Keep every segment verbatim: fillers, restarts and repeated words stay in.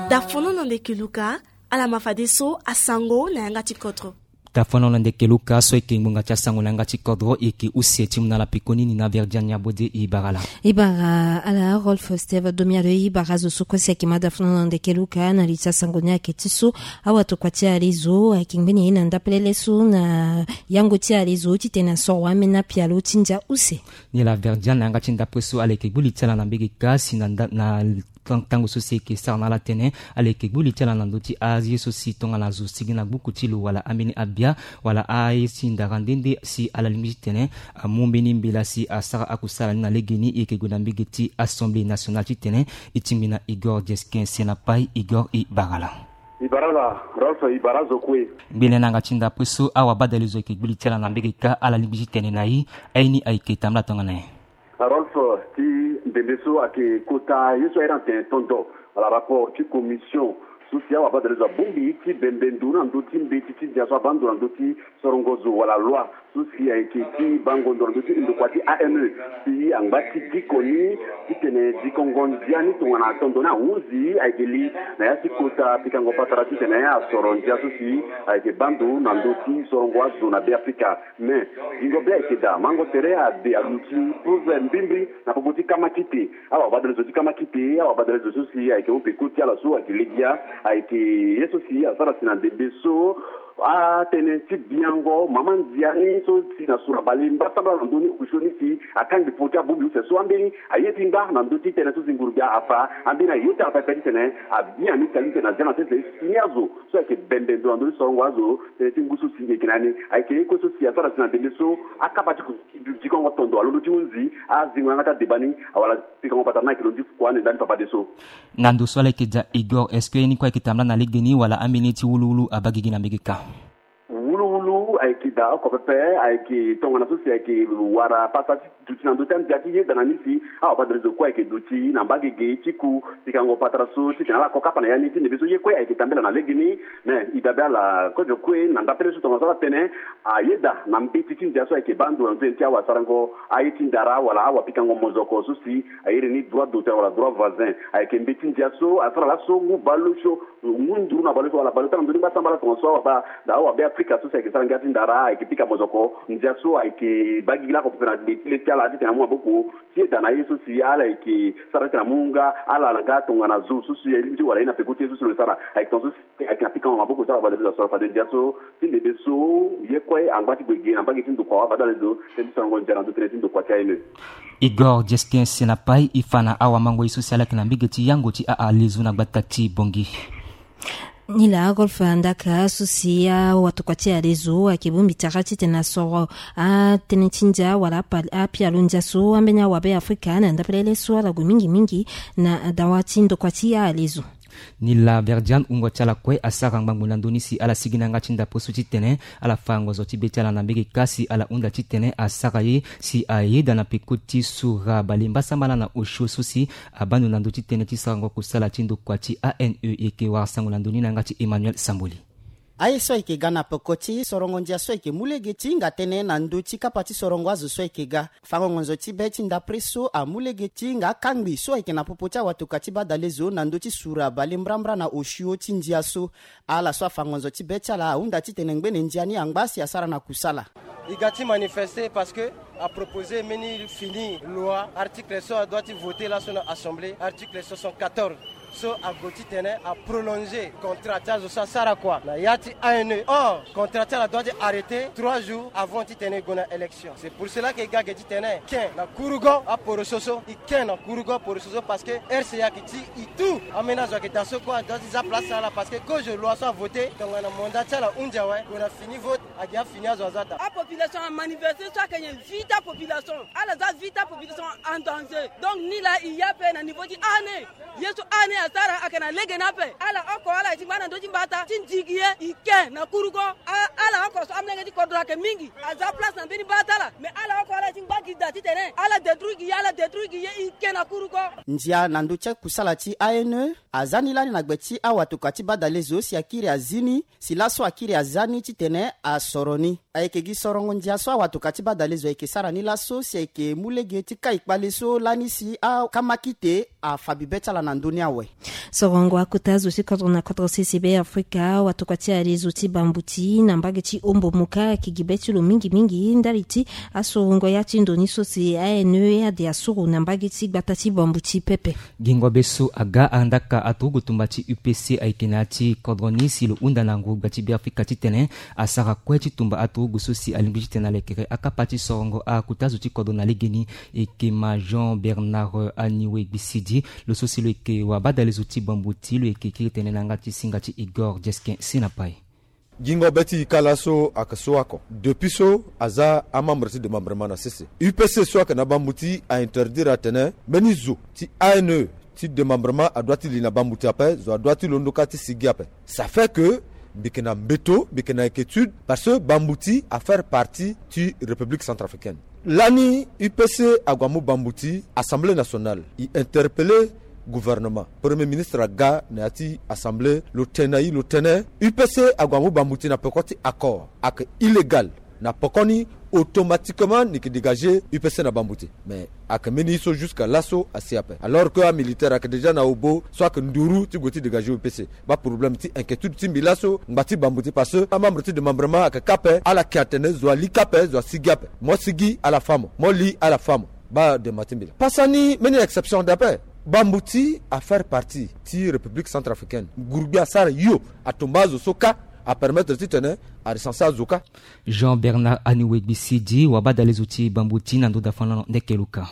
Dafono na ndeke luka. Ala ma fadeso asango na yanga ti kodro. Dafono na ndeke luka, so eke ngbonga ti asango na yanga ti kodro eke use ti mu na ala pekoni ni na Verdiane Abode. Ibara ala. Ibara ala Rolf Steve Domialo. Ibara zo so kue si eke ma dafono na ndeke luka na li ti asango ni ayeke ti so awatokua ti alezo ayeke ngbeni ye na ndapelele so na yango ti alezo titene asoro wamena pialo ti ndia use. Ni la Verdiane na yanga ti ndapre so ala yeke gbu li ti ala na mbege ka si na nda- na tan- tango so si eke sara na ala tene ala yeke gbu li ti ala na ndö ti aye so si tongana zo sigi na gbuku ti lo wala ambeni abia wala aye ti ndara nde nde si ala lingbi titene amu mbeni mbela si asara akusala ni na legeni. E yeke gue na mbege ti Assemblée nationale titene e tingbi na Igor Jeskin Senapai. Igor, e bara ala. E bara ala Rolf, e bara azo kue. Ngbene na yanga ti ndapre so awabadale zo ayeke gbu li ti ala na mbege ka, ala lingbi titene na e aye ni ayeke tambula tongana nyen? Rolf, ti mbembe so ayeke kota ye so aye na tene tondo wala rapport ti commission so si awabadale zo abongbi ti bembe ndo na ndö ti mbeti ti ndia so abaa ndo na ndö ti sorongo zo wala loi so si ayeke ti bango ndo na ndö ti ndokua ti A N E, si angba ti diko ni titene dikongo ndia ni tongana tondo ni ahunzi ayeke li na ya ti kota pikango patara titene asoro ndia so si ayeke baa ndo na ndö ti sorongo azo na Beafrika. Me gingo be ayeke daa, mango tere ade aluti preuve mbrimbri na popo ti kama kite. Awabadale zo ti kama kite, awabadale zo so si ayeke hon peko ti ala so ayeke legia, ayeke ye so si asara si na ndembe so atënë ti biango mama ndia ni so si na sura bale mbasambala na ndö ni osio ni si akangbi popo ti abongbi use so ambeni aye ti ngba na ndö ti tënë so si nguru-gbia afa ambeni aye ti ala pepe titene abia ni kali titene azia na sese si ni azo so ayeke bembe ndo na ndö ti sorongo azo. Tënë ti ngu so si e yeke na ni ayeke ye kue so si asara si na ndembe so akapa ti ku- dikongo tondo alondo ti hunzi azingo yanga ti adeba ni awala pikango patara ni ayeke londi kua ande ndani fafadeso. Na ndo so ala yeke daa Igor, est-ce que ye ni kue ayeke tambula na legeni wala ambeni ti wuluwulu abaa gigi na mbege ka? Wuluwulu ayeke daa oko pepe, ayeke tongana so si ayeke wara pasa ti duti na ndö ti andia ti yeda na ni si awabadale zo kue ayeke duti na mbagege ti ku pikango patara so titene ala ko kapa na ya ni ti ndembe so ye kue ayeke tambela na legeni. Me e dabe ala kozo kue na ndapele so tongana so ala tene ayeda na mbeti ti ndia so ayeke baa ndo na ndö ti awasarango aye ti ndara wala awapikango mozoko so si a iri ni droit d'auteur wala droit voisin. Ayeke mbeti ndia so asara laso ngu baleosio, ngu nduru na baleosio wala baleota na ndö ni ngbasambala tongana so awabaa daa awabeafrika so si ayeke sara ngia ti ndara ayeke pika mozoko. Ndia so ayeke baa gigi lako pepe na gbe ti le ti ala titene amu maboko ti yeda na ye so si ala yeke sara titene amu nga ala na nga tongana zo so si aye ti wala ye na peko ti ye so si lo sara. Ayeke tongana so si ayeke na pikango maboko ti ala wabadale zo asoro fade ndia so ti ndembe so ye kue angba ti gue ge na mbage ti ndokua wabadale zo tënë ti sorongo ndia na ndö tënë ti ndokua ti aye. Igor Jeskin Senapai, e fa na awamango ye so si ala yeke na mbege ti yango ti aa lezo na gbata ti Bongi. Nila Rolf Ndaka so si awatokua ti alezo ayeke bongbi tara titene asoro atënë ti ndia wala apa- apialo ndia so ambeni awabeafrika na ndapelele so ala gue mingi mingi na dawa ti ndokua ti alezo. Nila Verdiane wungo ti ala kue asara ngbangbo na ndö ni si ala sigi na yanga ti ndapre so titene ala fa ngonzo ti be ti ala na mbege ka si ala hunda titene asara ye si ayeda na peko ti sura bale mbasambala na osio so si abaa ndo na ndö ti tënë ti sarango kusala ti ndokua ti A N E. E yeke wara sango na ndö ni na yanga ti Emmanuel Samboli. Aye so ayeke ga na peko ti sorongo ndia so ayeke mu lege ti hinga tënë na ndö ti kapa ti sorongo azo so ayeke ga. Fango ngonzo ti be ti ndapre so amu lege ti hinga akangbi so ayeke na popo ti awatoka ti badale zo na ndö ti sura bale mbrambra na osio ti ndia so. Ala so afa ngonzo ti be ti ala ahunda titene ngbene ndia ni angba si asara na kusala. E ga ti manifester parce que a proposer mbeni fini loi, article so adoit ti voter laso na assemblée, article soixante-quatorze, so ague titene aprolonger contrat ti azo so asara kua na ya ti A N E. Or contrat ti ala doit ti arrêter trois jours avant titene e gue na élection. C'est pour cela que e ga ge titene e ken na kurugo aporoso so, e ken na kurugo aporoso so parce que R C A ayeke ti e tout. Ambeni azo ayeke daa so kue adoit ti za place ti ala parce que kozo loi so avoter tongana mandat ti ala hunzi awe, gue na fini vote. Agi afini azo aza daa. Apopulation amanifeste so ayeke nyen? Vie ti apopulation. Ala za vie ti apopulation en danger. Donc ni laa e ye ape na niveau ti A N E. Ye so A N E asara ayeke na lege ni ape. Ala oko ala ye ti ngba na ndö ti mbata ti ndigi ye. E ken na kurugo. A- ala oko so amolenge ti kodro ayeke mingi aza place na mbeni mbata ala. Mais ala oko ala ye ti ngba gi daa titene ala détruire gi ye, ala détruire gi ye. E ken na kurugo. Ndia na ndö ti akusala ti A N E aza ni lani na gbe ti awatoka ti badale zo si akiri azi ni. Si laso akiri aza ni titene asoro ni. Ayeke gi sorongo ndia so awatoka ti badale zo ayeke sara ni laso si ayeke mu lege ti kai kpale so lani si akamakite afa bibe ti ala na ndö ni awe. Sorongo akota zo ti kodro na kodro sese be Afrika, awatoka ti ale zo ti bambuti na mbage ti Ombo Moka ayeke gi be ti lo mingi mingi ndali ti asorongo ya ti ndo ni so si A N E ade asoro na mbage ti gbata ti bambuti pepe. Gingo be so aga andaka aturugu tumba ti U P C ayeke na ya ti kodro ni si lo hunda na ngurugba ti Beafrika titene asara kue ti tumba aturugu so si alingbi titene alekere akapa ti sorongo akuta zo ti kodro na legeni. Eke ma Jean Bernard Aniwe Gbisidi, lo so si lo yeke wabadale zo ti bambuti, lo yeke kiri tene na yanga ti singa ti Igor Jeskin Sinapai. Gingo be ti e ka laso ayeke so oko. Depuis so aza amembre ti démembrement na sese, U P C so ayeke na bambuti ainterdire atene mbeni zo ti A N E ti démembrement adoit ti li na bambuti ape, zo adoit ti londo kâ ti sigi ape. Ça fait que mbi yeke na mbeto, mbi yeke na inquiétude parce que bambuti afaire partie ti République centrafricaine. Lani U P C ague amu bambuti, Assemblée nationale e interpellé gouvernement, premier ministre aga na ya ti Assemblée, lo tene na e, lo tene U P C ague amu bambuti na peko ti accord ayeke illégal. Na pokoni, automatiquement ni yeke dégagé U P C na bambuti. Mais ayeke mbeni ye so jusqu'à laso asi ape, alors que amilitaire ayeke déjà na obo so ayeke nduru ti gue ti dégagé U P C. Baa problème ti inquiétude ti mbi laso, ngba ti bambuti, parce que amembre ti démembrement ayeke kâ ape, ala yeke atene zo ali kâ ape, zo asigi ape. Mo sigi, ala fâ mo, mo li, ala fâ mo. Baa dema ti mbi laa. Pasa ni mbeni exception de ape. Bambuti afaire partie ti République centrafricaine. Ngurugbi asara hio, atumba azo so kâ, apermettre titene arecenser azo kâ. Jean Bernard Aniwe Gbisidi, wabadale zo ti bambuti na ndo dafanano ndeke luka.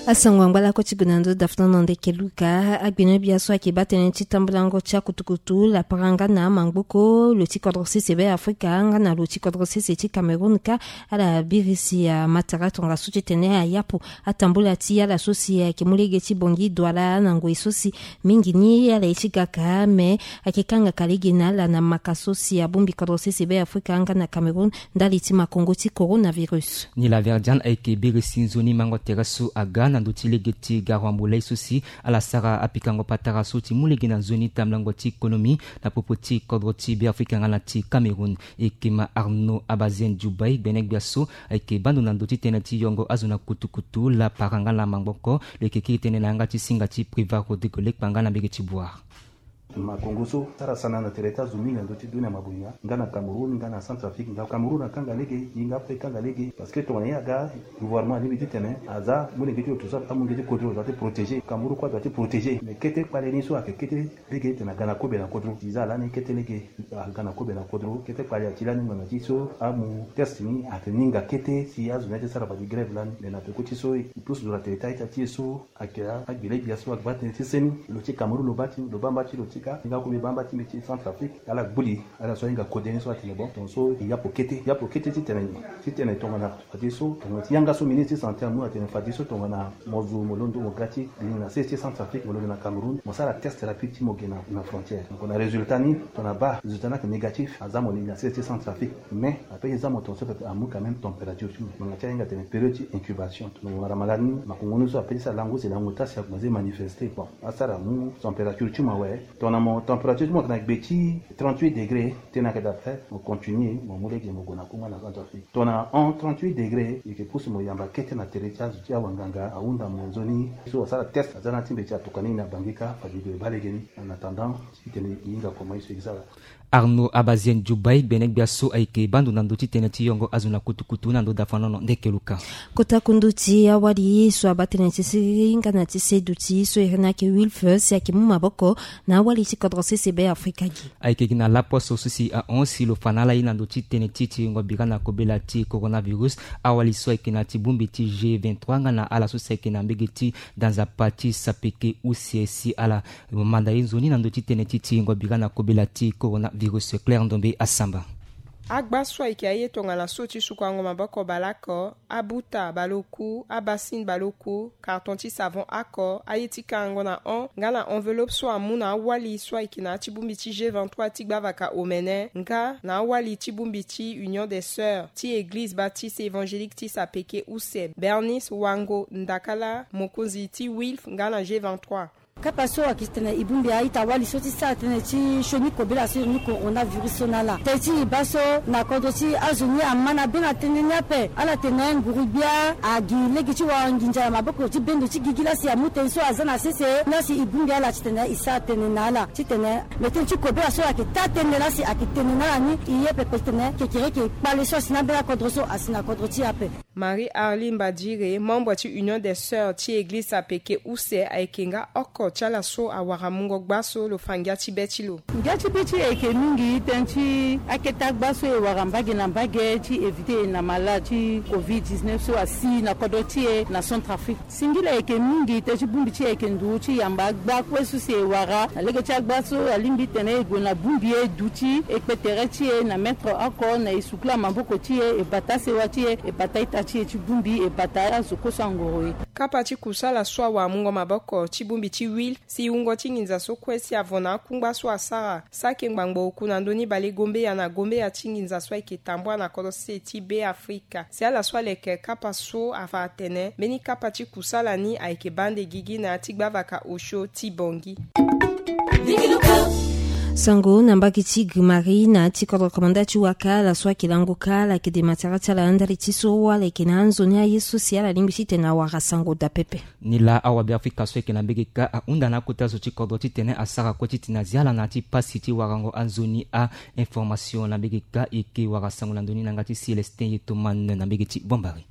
Asango angba lakue ti gue na ndo dafanano ndeke luka. Agbene gbia so ayeke baa tënë ti tambulango ti akutukutu, lapara nga na mangboko, lo ti kodro sese be Afrika nga na lo ti kodro sese ti Cameroun kâ, ala birisi matara tongaso titene ayapo atambula ti ala so si ayeke mu lege ti bongi duala na ngoi so si mingi ni ala ye ti gaka, me ayeke kangaka lege na ala na maka so si abongbi kodro sese be Afrika nga na Cameroun ndali ti makongo ti coronavirus. Ni la Verdiane ayeke birisi nzoni mango tere so aga na ndö ti lege ti garuambo lai so si ala sara apikango patara so ti mu lege na nzoni tambulango ti konomi na popo ti kodro ti Beafrika nga na ti Cameroun. Eke ma Arnaud Abazène Djoubay, gbene gbia so ayeke baa ndo na ndö ti tënë ti yongo azo na kutukutu, lapara nga na mangboko, lo yeke kiri tënë na yanga ti singa ti Privat Rodrigue Lekpa nga na mbege ti Bouar. Makongo so asara sana na tere ti azo mingi na ndö ti dunia mabonga, nga na Cameroun, nga na Centrafrique. Nga Cameroun akanga lege, e nga ape e kanga lege, parce que tongana e aga, gouvernement alingbi titene aza molenge ti lo, tout ça, amu lege ti kodro, adoit ti protéger. Cameroun kue adoit ti protéger. Mais kete kpale ni so ayeke kete lege titene aga na kobe na kodro. E za lani kete lege aga na kobe na kodro. Kete kpale ati lani ngbanga ti so amu test ni ayeke ninga kete si azo ni ati sara fade grève lani. Mais na peko ti so e pusu zo na tere ti a-ita ti e so ayeke agbele gbia so agba tënë ti seni. Lo ti Cameroun lo baa ti, lo baa mba ti lo ti kâ. Nga kobe baa mba ti mbi ti Centrafrique. Ala gbu li, ala so ahinga kode ni so atene bon, tongaso e yapo kete, yapo kete titene, titene tongana fadeso, tongana ti yanga so ministre ti santé amu atene fadeso tongana mo zo mo londo mo ga ti li na sese ti Centrafrique, mo londo na Cameroun, mo sara test rapide ti mo ge na, na frontière. Donc na résultat ni, tongana baa résultat ni ayeke négatif, aza mo li na sese ti Centrafrique. Mais ape ti za mo tongaso pepe amu quand même température ti mo. Ngbanga ti ahinga atene période ti incubation. Tongana mo wara malade ni, makongo ni so ape ti sara lango si lango ta si akomanse manifester. Bon, asara amu température ti mo awe. Tongana mo température ti mo ayeke na gbe ti trente-huit degré, tënë ayeke daa ape, mo continue, mo mu lege mo gue na Congo na Centrafrique. Tongana en trente-huit degré, e yeke pusu mo yamba kete na tere ti azo ti awanganga, ahunda mo nzoni. So asara test, aza na ti mbi ti atoka ni na Bangui kâ, fade e gue e baa lege ni. En attendant, titene e hinga koma ye so e sara. Arnaud Abazène Djoubay, gbene gbia so ayeke baa ndo na ndö ti tënë ti yongo azo na kutukutu na ndo dafanano ndeke luka. Kota kundu ti awali so abaa tënë ti siriri nga na ti seduti so iri ni ayeke Wilf si ayeke mu maboko na awali ti kodro sese be Afrika gi. Ayeke gi na laposo so si ahon si lo fa na ala ye na ndö ti tënë ti tiringo bira na kobela ti coronavirus, awali so ayeke na ti bongbi ti G vingt-trois nga na ala so si ayeke na mbege ti danzapa ti sapeke use si ala manda ye nzoni na ndö ti tënë ti tiringo bira na kobela ti coronavirus. Claire Ndombe Asamba. Agba so ayeke aye tongana so ti sukuango maboko baleoko, abuta baleoku, abassine baleoku, carton ti savon oko, aye ti kangango na hon nga na enveloppe so amu na awali so ayeke na ya ti bongbi ti G vingt-trois ti gbavaka omene nga na awali ti bongbi ti Union des Sœurs ti Eglize Baptiste Évangélique ti sapeke use, Bernice Wango Ndakala, mokonzi ti Wilf nga na G vingt-trois. Kapa so ayeke titene e bongbi a-ita-wali so ti sara tënë ti sioni kobela so iri ni coronavirus so na ala. Tënë ti e baa so na kodro ti azo ni ama na be na tënë ni ape. Ala tene nguru-gbia agi lege ti wara nginza na maboko ti bendo ti gigi la si amu tënë so aza na sese la si e bongbi ala titene e sara tënë na ala titene me tënë ti kobela so ayeke taa tënë la si ayeke tene na ala ni e ye pepe titene kekereke kpale so asi na ambeni akodro so asi na kodro ti e ape. Marie Arline Badire, membre ti Union des Sœurs ti Eglize apeke use, ayeke nga oko ti ala so awara mungo gba so lo fa ngia ti be ti lo. Ngia ti be ti e ayeke mingi tënë ti akete agba so e wara mbage na mbage ti éviter na malade ti covid dix-neuf so asi na kodro ti e na Centrafrique. Singila ayeke mingi tënë ti bongbi ti e ayeke nduru ti yamba agba kue so si e wara na lege ti agba so alingbi titene e gue na bongbi e duti e kpe tere ti e na mètre oko na e sukula maboko ti e, e bata sewa ti e, e bata ita ti e ti bongbi, e bata azo kue so angoro e. Kapa ti kusala so awara mungo maboko ti bongbi ti huile si wungo ti nginza so kue si avo na akungba so asara sake ngbangbo oku na ndö ni bale gombeya na gombeya ti nginza so ayeke tambula na kodro sese ti Be Afrika. Si ala so aleke kapa so afa atene mbeni kapa ti kusala ni ayeke baa ande gigi na ya ti gbavaka osio ti Bangui. Sango na mbage ti Grimari na ya ti kodro komanda ti waka ala so ayeke lango ka ala yeke de matara ti ala ndali ti so ala yeke na anzoni aye so si ala lingbi titene awara sango daa pepe. Ni laa awabe afrika so ayeke na mbage ka ahunda na akota zo ti kodro titene asara kue titene azia ala na ya ti pasi ti warango anzoni a information na mbage ka. E yeke wara sango na ndö ni na yanga ti Célestin Yetoman na mbage ti Bambari.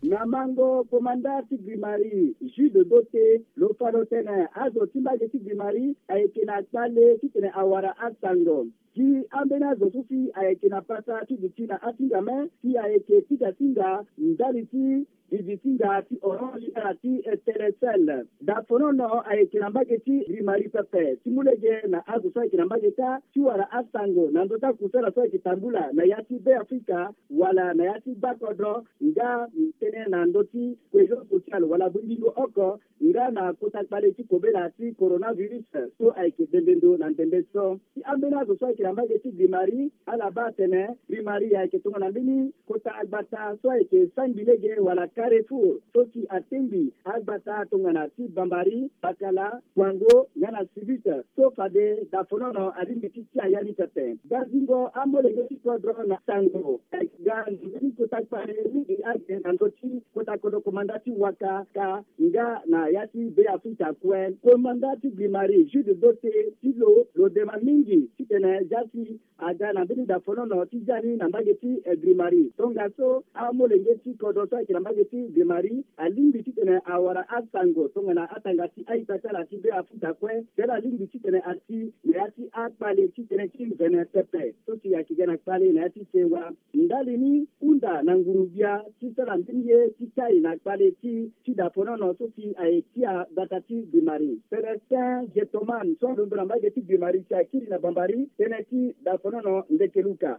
Na mango komanda ti Grimari, Jude Dote, lo fa lo tene azo ti mbage ti Grimari ayeke na kpale titene awara asango. Gi ambeni azo so si ayeke na pasa ti duti na asinga me si ayeke ti ga singa ndali ti vivi singa ti Orange nga na ti Telecel. Dafonono ayeke na mbage ti Grimari pepe ti mu lege na azo so ayeke na mbage kâ ti wara asango na ndö ti akusala so ayeke tambula na ya ti Be Afrika wala na ya ti gbakodro nga tënë na ndö ti cohésion sociale wala bongbingo oko nga na kota kpale ti kobela ti coronavirus so ayeke bembe ndo na ndembe so. Ti ambeni azo so ayeke na mbage ti Grimari, ala baa atene Grimari ayeke tongana mbeni kota gbata so ayeke sangbi lege wala carrefour so si atengbi agbata tongana ti Bambari, Bakala, Kwango nga na Sibit so fade dafonono alingbi ti tia ya ni pepe. Gazingo amolenge ti kodro na sango ayeke ga na mbeni kota kpale mingi ake na ndö ti kota kodro komanda ti waka ka nga na ya ti Be Afrika kue. Komanda ti Grimari, Jude Dote, ti lo, lo dema mingi titene zia si aga na mbeni dafonono ti zia ni na mbage ti, eh, Grimari. Tongaso amolenge ti kodro so ayeke na mbage ti Grimari alingbi titene awara asango tongana atanga ti a-ita ti ala ti Be Afrika kue, si ala lingbi titene asi na ya ti akpale ti tënë ti mvene pepe so si ayeke ga na kpale na ya ti sewa. Ndali ni hunda na nguru-gbia ti sara mbeni ye ti kai na kpale ti ti dafonono so si aye tia gbata ti Grimari. Célestin Getoman so alondo na mbage ti Grimari si akiri na Bambari tënë ti dafonono ndeke luka.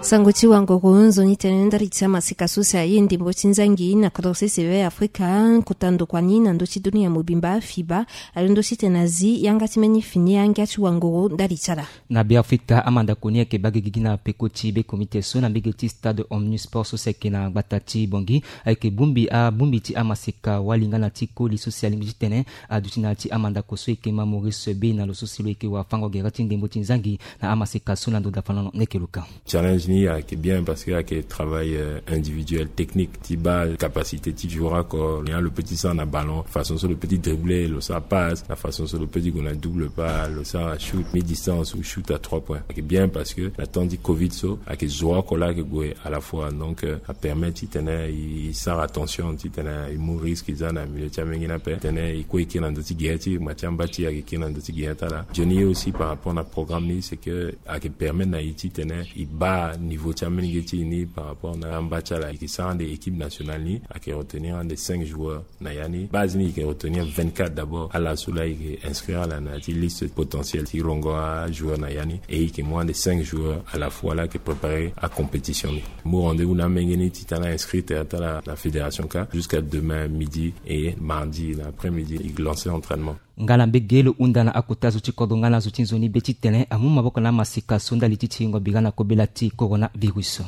Sango ti wangoro nzoni tënë ndali ti amaseka so si aye ndembo ti nzangi na kodro sese Be Afrika, kota ndokua ni na ndö ti dunia mobimba, FIBA, alondo titene azi yanga ti mbeni fini angia ti wangoro ndali ti ala. Na Be Afrika, amandako ni ayeke baa ge gigi na peko ti be komite so na mbege ti stade Omnisport so si ayeke na gbata ti Bangui. Ayeke bongbi abongbi ti amaseka wali nga na ti koli so si alingbi titene aduti na ya ti amandako so eke ma Maurice Bey na lo so si lo yeke wafango gere ti ndembo ti nzangi na amaseka so na ndo dafa na lo. Ndeke luka. Challenge ni ayeke bien parce que ayeke travail, euh, individuel, technique ti baa capacité ti joueur oko, lo yanga lo peut ti sara na ballon, façon so lo peut ti dribbler, lo sara passe, la façon so lo peut ti gue na double pas, lo sara shoot mi distance ou shoot à trois points. Ayeke bien parce que na temps ti covid so ayeke zo oko laa ayeke gue à la fois, donc, euh, apermettre titene e sara attention titene e mu risque e za na milieu ti amenge ni ape, titene e kue e kiri na ndo ti gere ti e, ma ti amba ti e ayeke kiri na ndo ti gere ti ala. Nzoni ye aussi par rapport na programme ni, c'est que ayeke permettre na e titene e baa niveau ti amenge ti e ni par rapport na amba ti ala. E yeke sara ande équipe nationale ni, ayeke retenir ande cinq joueurs na ya ni. Base ni e yeke retenir vingt-quatre d'abord, ala so laa e yeke inscrire ala na ya ti liste potentielle ti rongo ajoueur na ya ni, et e yeke mu ande cinq joueurs à la fois laa e yeke préparer acompétition ni. Mu rendez-vous na amenge ni titene a inscrire tere ti ala na fédération kâ jusqu'à demain midi et mardi na après-midi e lancer entraînement. Nga na mbege lo hunda na akota zo ti kodro nga na zo ti nzoni be titene amu maboko na amaseka so ndali ti tiringo bira na kobela ti coronavirus.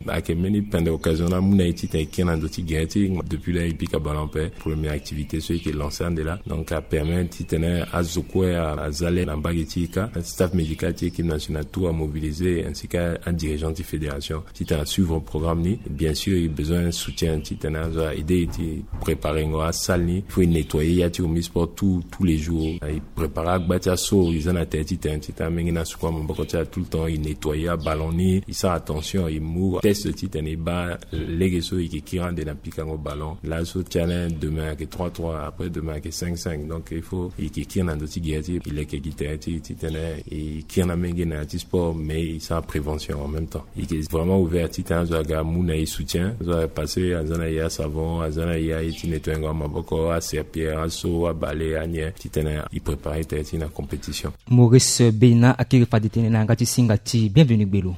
Ayeke mbeni pende occasion na amu na ye titene e kiri na ndö ti gere ti e. Depuis là e pika ballon ape, première activité so e yeke lancer ande laa. Donc apermet titene azo kue aza le na mbage ti e kâ. Staff médical ti équipe nationale tout amobilisé, ainsi que adirigeant ti fédération titene asuivre programme ni. Bien sûr e besoin soutien titene azo a aider e ti préparengo asalle ni. Faut e nettoyer ya ti omnisport tous tous les jours. E préparer agba ti aso e za na tere ti tene titene amenge ni asuku amaboko ti ala tout le temps. E nettoyer aballon ni, e sara attention, e mu test titene e baa lege so e yeke kiri ande na pikango ballon. Laso ti ala demain ayeke trois trois, après demain ayeke cinq cinq. Donc il faut e yeke kiri na ndö ti gere ti e, e leke gi tere ti e titene e kiri na amenge na ya ti sport, mais e sara prévention en même temps. E yeke vraiment ouvert titene azo aga amu na e soutien. Azo aga passé, aza na e asavon, aza na e aye ti nettoyer ngo amaboko, aserpillère, aso, abale, anyen, titene e préparer tere ti e na compétition. Maurice Beina akiri fade tënë na yanga ti singa ti Bienvenu Gbelo.